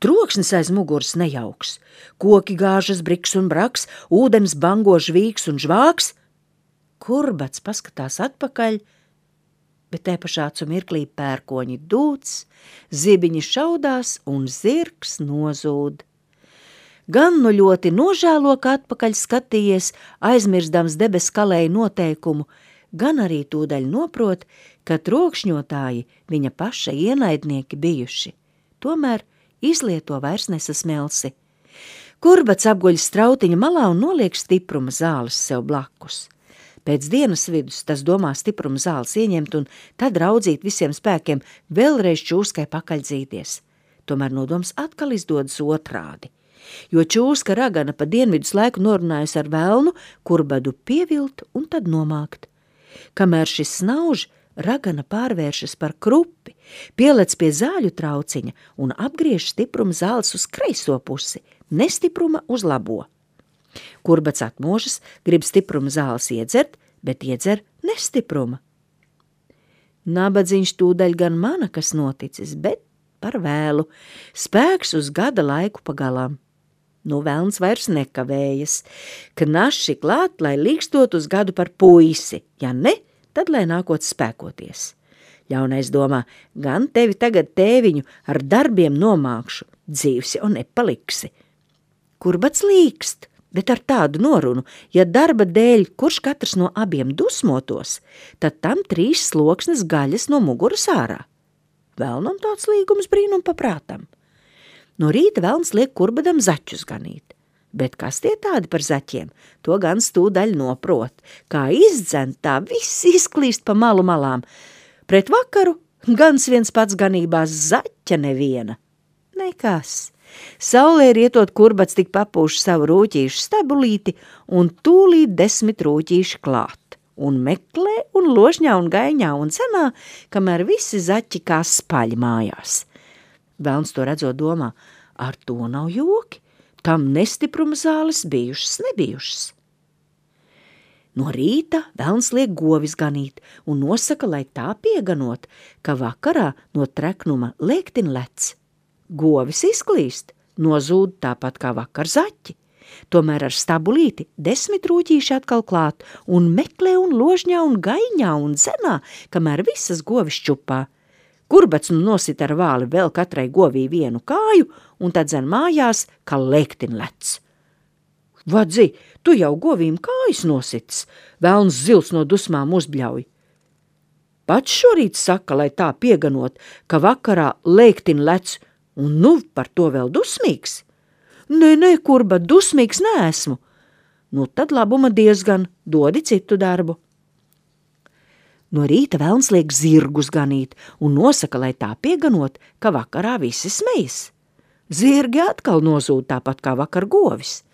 Troksnis aiz muguras nejauks. Koki gāžas briks un braks, ūdens bango žvīgs un žvāks. Kurbats paskatās atpakaļ, bet te pašā mirklī pērkoņi dūc, zibiņi šaudās un zirgs nozūd. Gan nu ļoti nožēlo, ka atpakaļ skatījies, aizmirstams debesis kalēja noteikumu, gan arī tūdaļ noprot, ka trokšņotāji viņa paša ienaidnieki bijuši. Tomēr izlieto vairs nesasmelsi. Kurbats apguļ strautiņa malā un noliek stipruma zāles sev blakus. Pēc dienas vidus tas domā stipruma zāles ieņemt un tad raudzīt visiem spēkiem vēlreiz čūskai pakaļdzīties. Tomēr nodoms atkal izdodas otrādi, jo čūska ragana pa dienvidus laiku norunājusi ar velnu, Kurbadu pievilt un tad nomākt. Kamēr šis snauž, ragana pārvēršas par krupi, pielec pie zāļu trauciņa un apgriež stipruma zāles uz kreiso pusi, nestipruma uz labo. Kurbats atmožas, grib stipruma zāles iedzert, bet iedzer nestipruma. Nabadziņš tūdaļ gan mana, kas noticis, bet par vēlu, spēks uz gada laiku pagalām. Nu velns vairs nekavējas, ka naši klāt, lai līkstot uz gadu par puisi, ja ne, tad lai nākot spēkoties. Ļaunais domā, gan tevi tagad tēviņu ar darbiem nomākšu, dzīvs jau nepaliksi. Kurbats līkst, bet ar tādu norunu, ja darba dēļ kurš katrs no abiem dusmotos, tad tam 3 sloksnes gaļas no muguras ārā. Velnam tāds līgums brīnum paprātam. No rīta velns liek Kurbadam zaķus ganīt, bet kas tie tādi par zaķiem, to gan stūdaļ noprot, kā izdzen, tā viss izklīst pa malu malām. Pret vakaru gans viens pats ganībās, zaķa neviena. Nekas, Saulē rietot Kurbats tik papūš savu rūķīšu stabulīti un tūlīt 10 rūķīši klāt. Un meklē un ložņā un gaiņā un cenā, kamēr visi zaķi kā spaļi mājās. Velns to redzot domā, ar to nav joki, tam nestipruma zāles bijušas nebijušas. No rīta velns liek govis ganīt un nosaka, lai tā pieganot, ka vakarā no treknuma lēktin lec. Govis izklīst, nozūd tāpat kā vakar zaķi. Tomēr ar stabulīti 10 rūķīši atkal klāt un meklē un ložņā un gaiņā un zenā, kamēr visas govis čupā. Kurbats nosit ar vāli vēl katrai govī vienu kāju un tad zen mājās, ka lēktin lec. Vadzi, tu jau govīm kājas nosits, velns zils no dusmām uzbļauj. Pats šorīt saka, lai tā pieganot, ka vakarā lēktin lec, un nu par to vēl dusmīgs. Nē, Kurbat, dusmīgs neesmu. Nu tad labuma diezgan, dodi citu darbu. No rīta velns liek zirgus ganīt un nosaka, lai tā pieganot, ka vakarā visi smejas. Zirgi atkal nozūd tāpat kā vakar govis.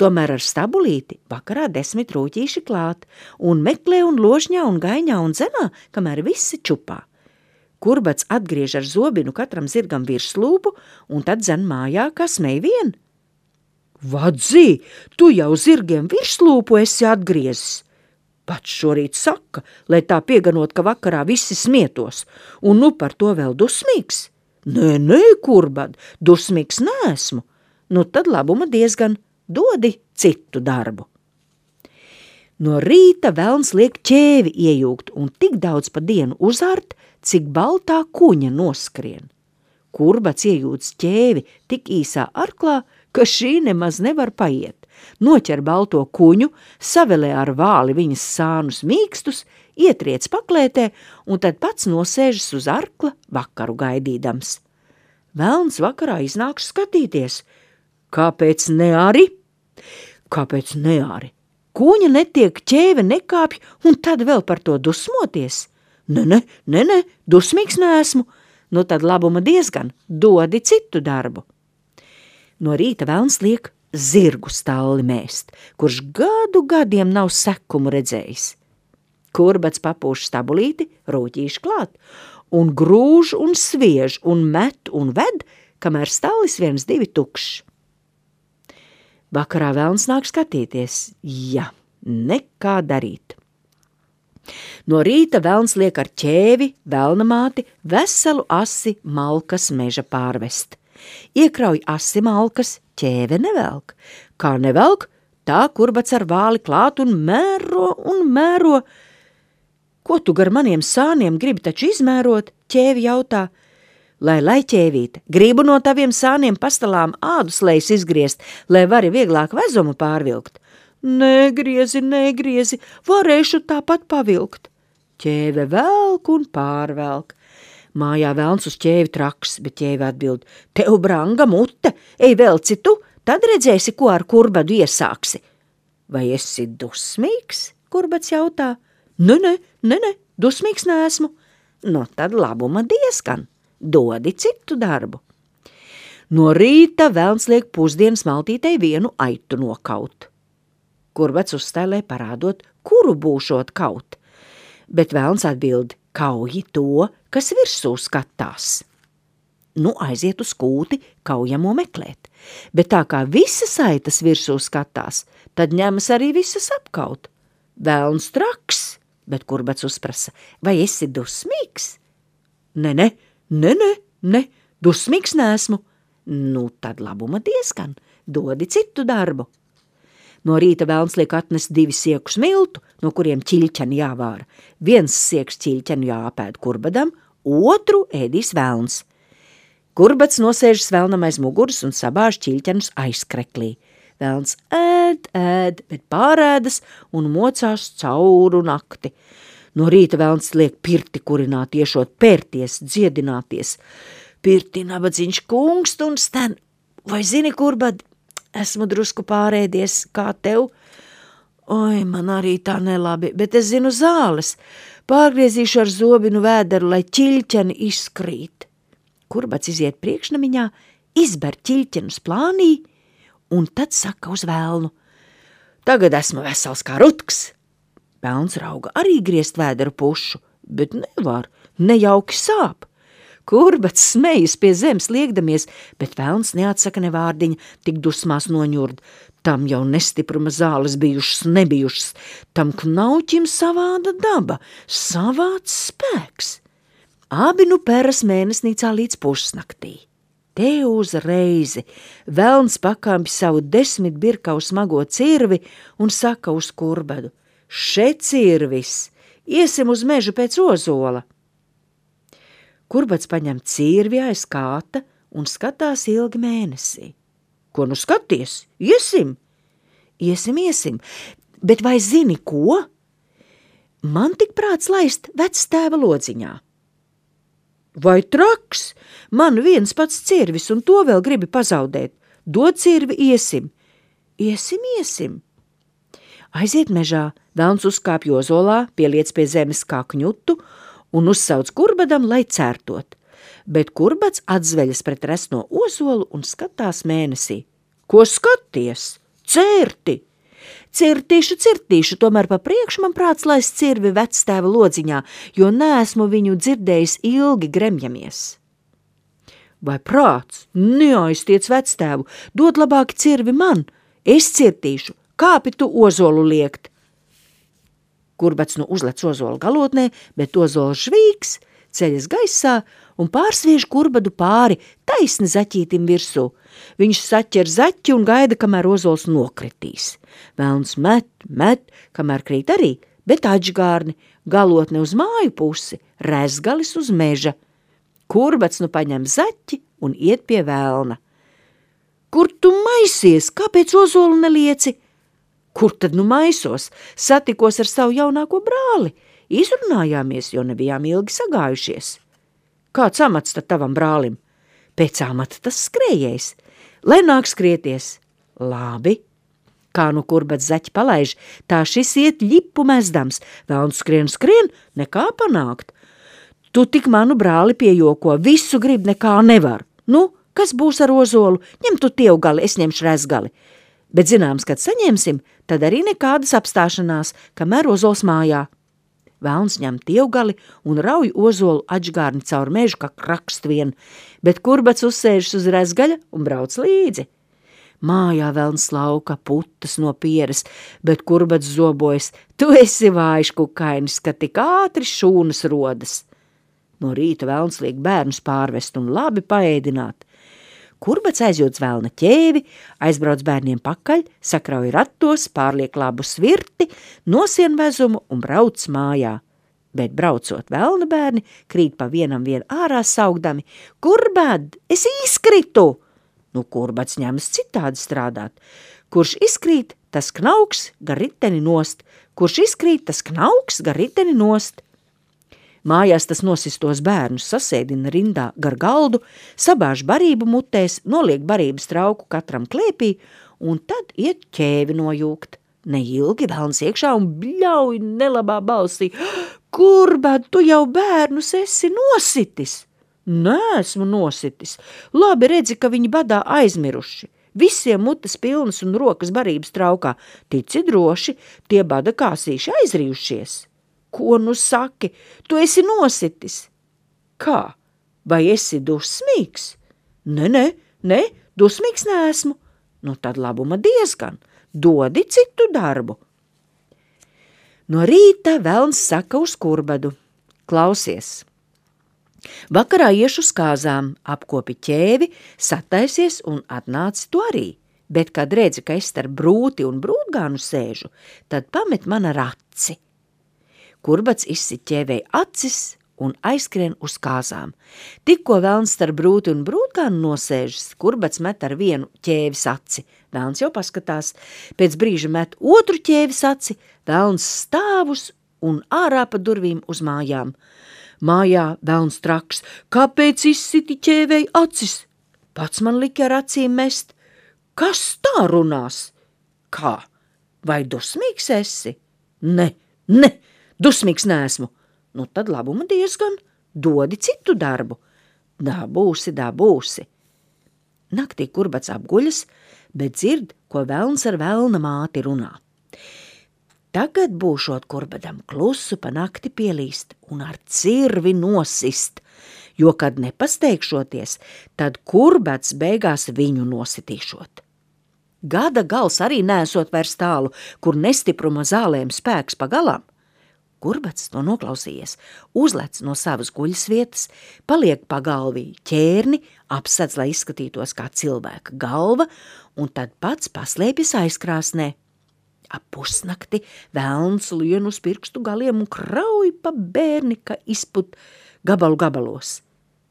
Tomēr ar stabulīti vakarā 10 rūķīši klāt un meklē un ložņā un gaiņā un zenā, kamēr visi čupā. Kurbats atgriež ar zobinu katram zirgam virslūpu un tad zen mājā, kā smej vien. Vadzi, tu jau zirgiem virslūpu esi atgriezis. Pats šorīt saka, lai tā pieganot, ka vakarā visi smietos, un nu par to vēl dusmīgs. Nē, Kurbat, dusmīgs neesmu. Nu tad labuma diezgan, dodi citu darbu. No rīta velns liek ķēvi iejūgt un tik daudz pa dienu uzart, cik baltā kuņa noskrien. Kurbats iejūdz ķēvi tik īsā arklā, ka šī nemaz nevar paiet. Noķer balto kuņu, savelē ar vāli viņas sānus mīkstus, ietriec paklētē un tad pats nosēžas uz arkla vakaru gaidīdams. Velns vakarā iznāks skatīties. Kāpēc ne arī? Kāpēc ne arī? Kuņa netiek, ķēve nekāpj un tad vēl par to dusmoties? Nē, dusmīgs neesmu. Nu tad labuma diezgan, dodi citu darbu. No rīta velns liek zirgu stalli mēst, kurš gadiem nav sekumu redzējis. Kurbats papūš stabulīti, rūķīši klāt, un grūž un sviež un met un ved, kamēr stallis 1-2 tukšs. Vakarā velns nāk skatīties, ja, nekā darīt. No rīta velns liek ar ķēvi, velnamāti, veselu asi malkas meža pārvest. Iekrauj asi malkas, ķēve nevelk. Kā nevelk, tā Kurbats ar vāli klāt un mēro. Ko tu gar maniem sāniem gribi taču izmērot? Ķēvi jautā. Lai ķēvīt, gribu no taviem sāniem pastalām ādus lejas izgriezt, lai vari vieglāk vezumu pārvilkt. Negriezi, varēšu tāpat pavilkt. Ķēve velk un pārvelk. Mājā velns uz ķēvi traks, bet ķēve atbild, tev branga mute, ej velci tu, tad redzēsi, ko ar Kurbadu iesāksi. Vai esi dusmīgs? Kurbats jautā. Nē, dusmīgs neesmu. No tad labuma diezgan, dodi citu darbu. No rīta velns liek pusdienas maltītei vienu aitu nokaut. Kurbats uzstēlē parādot, kuru būšot kaut, bet velns atbild, kauji to, kas virsū skatās. Nu aiziet uz kūti kaujamo meklēt, bet tā kā visas aitas virsū skatās, tad ņemas arī visas apkaut. Velns traks, bet Kurbats uzprasa, vai esi dusmīgs? Nē, dusmīgs neesmu. Nu tad labuma diezgan, dodi citu darbu. No rīta velns liek atnest 2 siekus miltu, no kuriem ķiļķeni jāvāra. 1 sieks ķiļķenu jāapēd Kurbadam, otru ēdīs velns. Kurbats nosēžas velnam aiz muguras un sabāž ķiļķenus aizkreklī. Velns ēd, bet pārēdas un mocās cauru nakti. No rīta velns liek pirti kurināt, iešot pērties, dziedināties. Pirti nabadzīņš kungst un sten. Vai zini, Kurbad, esmu drusku pārēdies, kā tev? Oi, man arī tā nelabi, bet es zinu zāles. Pārgriezīšu ar zobinu vēderu, lai ķiļķeni izkrīt. Kurbats iziet priekšnamiņā, izber ķiļķenus plānī un tad saka uz velnu: Tagad esmu vesels kā rutks. Velns rauga arī griezt vēderu pušu, bet nevar, nejauki sāp. Kurbats smejas pie zemes liekdamies, bet velns neatsaka ne vārdiņa, tik dusmās noņurd. Tam jau nestipruma zāles nebijušas, tam knauķim savāda daba, savāds spēks. Abi nu peras mēnesnīcā līdz pusnaktī. Te uzreizi velns pakāpj savu 10 birkavu smago cirvi un saka uz Kurbadu: Še cirvis, iesim uz mežu pēc ozola. Kurbats paņem cirvi aiz kāta un skatās ilgi mēnesī. Ko nu skaties? Iesim! Iesim, bet vai zini ko? Man tik prāts laist vectēva lodziņā. Vai traks? Man viens pats cirvis un to vēl gribi pazaudēt. Dod cirvi, iesim. Iesim. Aiziet mežā, velns uzkāpj ozolā, pieliec pie zemes kā kņutu un uzsauc Kurbadam, lai cērtot. Bet Kurbats atzveļas pret resno ozolu un skatās mēnesī. Ko skaties? Cērti! Cirtīšu, tomēr pa priekšu man prāts laist cirvi vectēva lodziņā, jo neesmu viņu dzirdējis ilgi gremjamies. Vai prāts? Neaiztiec vectēvu, dod labāk cirvi man, es cirtīšu, kāpi tu ozolu liekt. Kurbats nu uzlec ozolu galotnē, bet ozols žvīgs, ceļas gaisā un pārsviež Kurbadu pāri taisni zaķītim virsū. Viņš saķer zaķi un gaida, kamēr ozols nokritīs. Velns met, kamēr krīt arī, bet atžgārni, galotne uz māju pusi, rezgalis uz meža. Kurbats nu paņem zaķi un iet pie velna. Kur tu maisies? Kāpēc ozolu nelieci? Kur tad nu maisos? Satikos ar savu jaunāko brāli. Izrunājāmies, jo nebijām ilgi sagājušies. Kāds amats tad tavam brālim? Pēc amata tas skrējējs. Lai nāk skrieties. Labi. Kā nu Kurbats zaķi palaiž, tā šis iet ļipu mezdams. Velns skrien, nekā panākt. Tu tik manu brāli piejoko, visu grib, nekā nevar. Nu, kas būs ar ozolu? Ņem tu tievgali, es ņemšu rezgali. Bet zināms, kad saņemsim, tad arī nekādas apstāšanās, kamēr ozols mājā. Velns ņem tievgali un rauj ozolu atžgārni caur mežu kā krakstvien, bet Kurbats uzsēžas uz rezgaļa un brauc līdzi. Mājā velns lauka putas no pieres, bet Kurbats zobojas: Tu esi vājš kukainis, ka tik ātri šūnas rodas. No rīta velns liek bērnus pārvest un labi paēdināt. Kurbats aizjūdz velna ķēvi, aizbrauc bērniem pakaļ, sakrauj ratos, pārliek labu svirti, nosien vezumu un brauc mājā. Bet braucot velna bērni, krīt pa vienam vien ārā saugdami: Kurbad, es izkritu! Nu, Kurbats ņemas citādi strādāt. Kurš izkrīt, tas knauks gar riteni nost. Kurš izkrīt, tas knauks gar riteni nost. Mājās tas nosistos bērnus sasēdina rindā gar galdu, sabāž barību mutēs, noliek barības trauku katram klēpī un tad iet ķēvi nojūgt. Neilgi velns iekšā un bļauj nelabā balsī: Kurbad, tu jau bērnus esi nositis? Neesmu nositis. Labi redzi, ka viņi badā aizmiruši. Visiem mutes pilnas un rokas barības traukā. Tici droši, tie bada kāsīši aizrījušies. Ko nu saki? Tu esi nositis. Kā? Vai esi dusmīgs? Ne, dusmīgs neesmu. Nu tad labuma diezgan. Dodi citu darbu. No rīta velns saka uz Kurbadu: Klausies, vakarā iešu uz kāzām, apkopi ķēvi, sataisies un atnāci tu arī. Bet, kad redzi, ka es starp brūti un brūtgānu sēžu, tad pamet man ar aci. Kurbats izsit ķēvei acis un aizskrien uz kāzām. Tikko velns starp brūti un brūtgānu nosēžas, Kurbats met ar vienu ķēvis aci. Velns jau paskatās, pēc brīža met otru ķēvis aci, velns stāvus un ārā pa durvīm uz mājām. Mājā velns traks: Kāpēc izsiti ķēvei acis? Pats man lika ar acīm mest. Kas tā runās? Kā? Vai dusmīgs esi? Ne, dusmīgs neesmu. Nu tad labuma diezgan, dodi citu darbu. Dabūsi. Naktī Kurbats apguļas, bet dzird, ko velns ar velna māti runā. Tagad būšot Kurbadam klusu pa nakti pielīst un ar cirvi nosist, jo, kad nepasteigšoties, tad Kurbats beigās viņu nositīšot. Gada gals arī nesot vairs tālu, kur nestipruma zālēm spēks pa galām. Kurbats to noklausījies, uzlec no savas guļas vietas, paliek pa galvī ķērni, apsedz, lai izskatītos kā cilvēka galva, un tad pats paslēpjas aizkrāsnē. Ap pusnakti velns lien uz pirkstu galiem un krauj pa bērni, ka izput gabalu gabalos.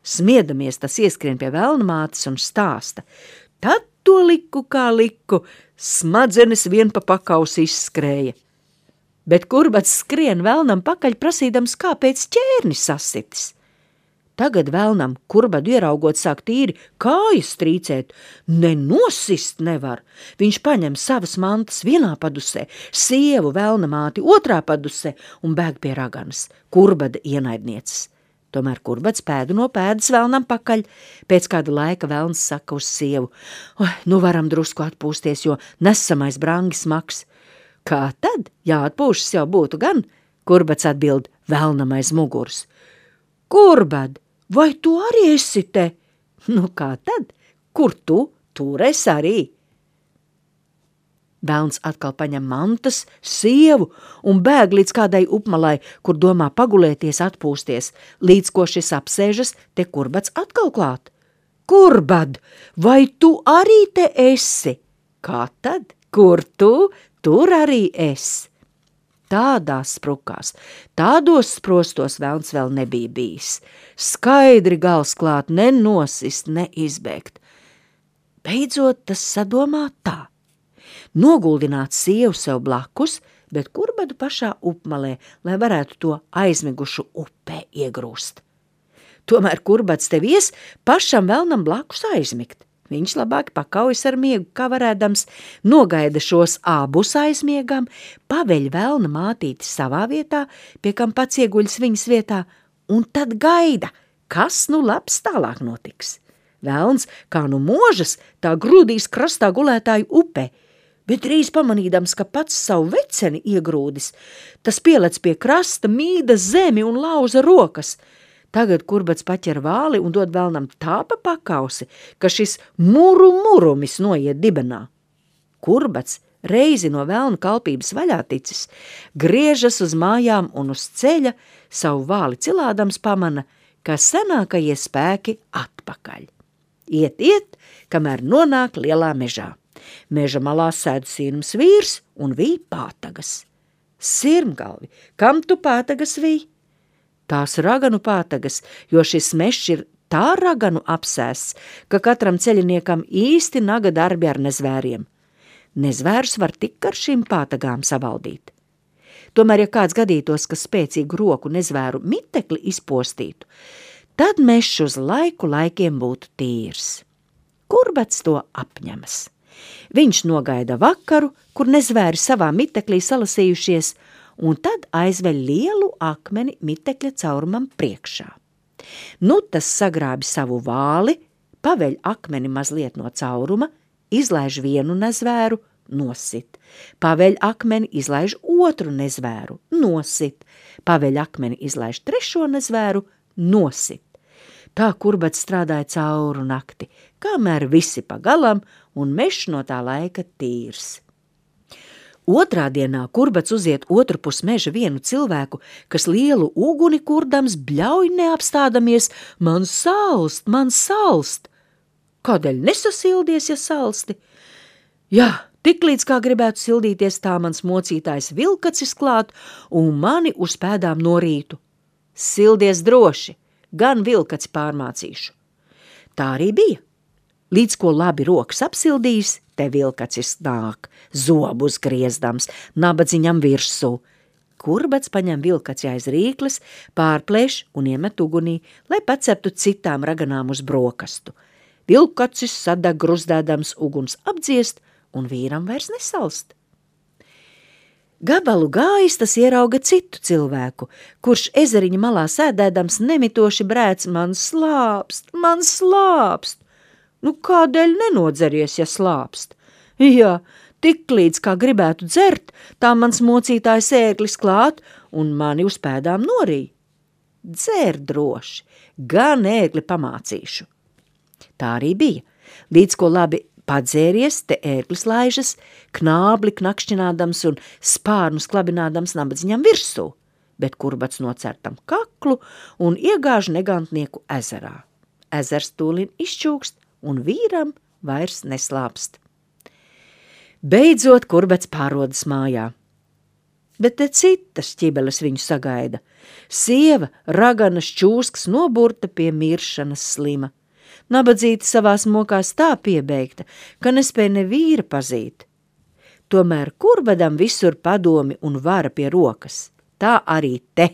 Smiedamies, tas ieskrien pie velna mātes un stāsta. Tad to liku kā liku, smadzenes vien pa pakausi izskrēja. Bet Kurbats skrien velnam pakaļ prasīdams, kāpēc ķērnis sasitis. Tagad velnam Kurbadu ieraugot sāk tīri kājas trīcēt, nenosist nevar. Viņš paņem savas mantas vienā padusē, sievu velna māti otrā padusē un bēg pie raganas, Kurbada ienaidnieces. Tomēr Kurbats pēdu no pēdas velnam pakaļ. Pēc kāda laika velns saka uz sievu, nu varam drusku atpūsties, jo nesamais brangi smags. Kā tad? Jāatpūšas jau būtu gan, Kurbats atbild velnam aiz muguras. Kurbad, vai tu arī esi te? Nu kā tad? Kur tu? Tur es arī. Velns atkal paņem mantas, sievu un bēg līdz kādai upmalai, kur domā pagulēties, atpūsties, līdz ko šis apsēžas, te Kurbats atkal klāt. Kurbad, vai tu arī te esi? Kā tad? Kur tu? Tur arī es. Tādās sprukās, tādos sprostos velns vēl nebija bijis. Skaidri gals klāt, nenosist, neizbēgt. Beidzot tas sadomā tā. Noguldināt sievu sev blakus, bet Kurbadu pašā upmalē, lai varētu to aizmigušu upē iegrūst. Tomēr Kurbats te vies pašam velnam blakus aizmigt. Viņš labāk pakaujas ar miegu, kā varēdams, nogaida šos abus aizmiegam, paveļ velna mātīti savā vietā, pie kam pats ieguļas viņas vietā, un tad gaida, kas nu labs tālāk notiks. Velns, kā nu možas, tā grūdīs krastā gulētāju upē, bet drīz pamanīdams, ka pats savu veceni iegrūdis, tas pielec pie krasta, mīda zemi un lauza rokas. Tagad Kurbats paķer vāli un dod velnam tā pa pakausi, ka šis murumis noiet dibenā. Kurbats, reizi no velna kalpības vaļā ticis, griežas uz mājām un uz ceļa, savu vāli cilādams pamana, ka senākajie spēki atpakaļ. Iet, kamēr nonāk lielā mežā. Meža malā sēd sirms vīrs un vīj pātagas. Sirmgalvi, kam tu pātagas vīj? Tās raganu pātagas, jo šis mežs ir tā raganu apsēsts, ka katram ceļiniekam īsti naga darbi ar nezvēriem. Nezvērus var tik ar šīm pātagām savaldīt. Tomēr, ja kāds gadītos, ka spēcīgu roku nezvēru mitekli izpostītu, tad mežs uz laikiem būtu tīrs. Kurbats to apņemas. Viņš nogaida vakaru, kur nezvēri savā miteklī salasījušies, un tad aizveļ lielu akmeni mitekļa caurumam priekšā. Nu tas sagrābi savu vāli, paveļ akmeni mazliet no cauruma, izlaiž vienu nezvēru, nosit. Paveļ akmeni, izlaiž otru nezvēru, nosit. Paveļ akmeni, izlaiž trešo nezvēru, nosit. Tā Kurbats strādāja cauru nakti, kamēr visi pa galam un mežs no tā laika tīrs. Otrā dienā Kurbats uziet otru pus meža vienu cilvēku, kas lielu uguni kurdams bļauj neapstādamies, man salst. Kādēļ nesasildies, ja salsti? Jā, tiklīdz kā gribētu sildīties, tā mans mocītājs vilkacis klāt un mani uz pēdām norītu. Sildies droši, gan vilkaci pārmācīšu. Tā arī bija. Līdz ko labi rokas apsildījis, te vilkacis nāk, zobus griezdams, nabadziņam virsū. Kurbats paņem vilkaci aiz rīkles, pārplēš un iemet ugunī, lai paceptu citām raganām uz brokastu. Vilkacis sadeg gruzdēdams uguns apdziest un vīram vairs nesalst. Gabalu gājis tas ierauga citu cilvēku, kurš ezeriņa malā sēdēdams nemitoši brēc man slāpst. Nu, kādēļ nenodzeries, ja slāpst? Jā, tiklīdz kā gribētu dzert, tā mans mocītājs ēglis klāt un mani uz pēdām norīja. Dzer droši, gan ēgli pamācīšu. Tā arī bija. Līdz ko labi padzēries, te ēglis laižas, knābli knakšķinādams un spārnus klabinādams nabadziņam virsū, bet Kurbats nocertam kaklu un iegāž negantnieku ezerā. Ezers tūlīt izčūkst un vīram vairs neslāpst. Beidzot Kurbats pārodas mājā. Bet te citas ķibeles viņu sagaida. Sieva, raganas čūskas noburta pie miršanas slima. Nabadzīte savās mokās tā piebeigta, ka nespēja ne vīra pazīt. Tomēr Kurbadam visur padomi un vara pie rokas. Tā arī te.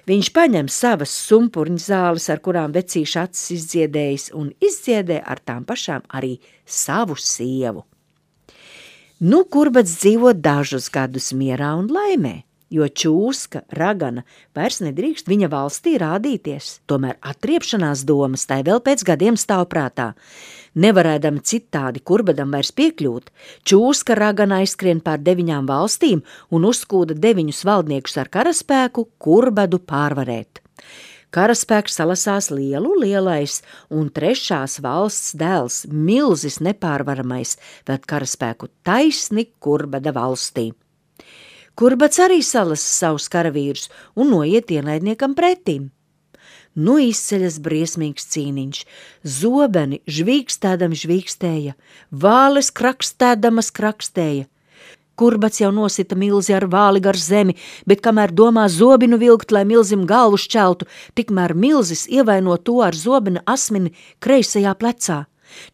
Viņš paņem savas sumpurņu zāles, ar kurām vecīša acis izdziedējis, un izdziedē ar tām pašām arī savu sievu. Nu, Kurbats dzīvo dažus gadus mierā un laimē, jo čūska, ragana vairs nedrīkst viņa valstī rādīties. Tomēr atriepšanās domas tai vēl pēc gadiem stāv prātā. Nevarēdami citādi Kurbadam vairs piekļūt, čūska ragana aizskrien pār 9 valstīm un uzskūda 9 valdniekus ar karaspēku Kurbadu pārvarēt. Karaspēks salasās lielais, un 3. valsts dēls, milzis nepārvaramais, ved karaspēku taisni Kurbada valstī. Kurbats arī salas savus karavīrus un noiet ienaidniekam pretīm. Nu izceļas briesmīgs cīniņš, zobeni žvīkstēdami žvīkstēja, vāles krakstēdamas krakstēja. Kurbats jau nosita milzi ar vāli gar zemi, bet kamēr domā zobinu vilkt, lai milzim galvu šķeltu, tikmēr milzis ievaino to ar zobina asmeni kreisajā plecā.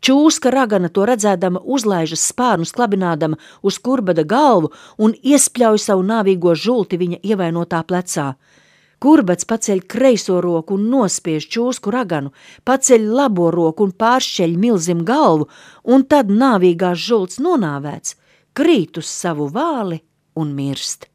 Čūska ragana to redzēdama uzlaižas spārnus klabinādama uz Kurbada galvu un iespļauj savu nāvīgo žulti viņa ievainotā plecā. Kurbats paceļ kreiso roku un nospiež čūsku raganu, paceļ labo roku un pāršķeļ milzim galvu, un tad nāvīgās žults nonāvēts, krīt uz savu vāli un mirst.